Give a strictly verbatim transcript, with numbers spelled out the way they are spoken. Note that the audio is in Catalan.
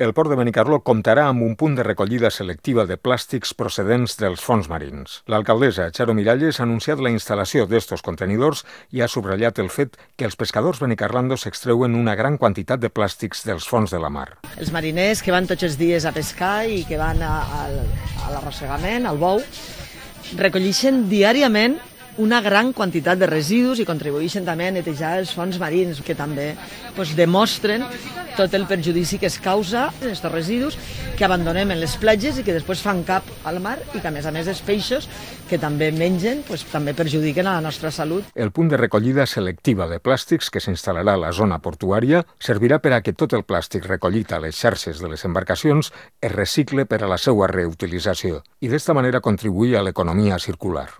El port de Benicarló comptarà amb un punt de recollida selectiva de plàstics procedents dels fons marins. L'alcaldessa, Charo Miralles, ha anunciat la instal·lació d'estos contenidors i ha subratllat el fet que els pescadors benicarlandos s'extreuen una gran quantitat de plàstics dels fons de la mar. Els mariners que van tots els dies a pescar i que van a, a, a l'arrossegament, al bou, recolleixen diàriament una gran quantitat de residus i contribueixen també a netejar els fons marins, que també doncs, demostren tot el perjudici que es causa aquests residus que abandonem en les platges i que després fan cap al mar i que, a més a més, els peixos que també mengen doncs, també perjudiquen a la nostra salut. El punt de recollida selectiva de plàstics que s'instal·larà a la zona portuària servirà per a que tot el plàstic recollit a les xarxes de les embarcacions es recicle per a la seva reutilització i d'esta manera contribuir a l'economia circular.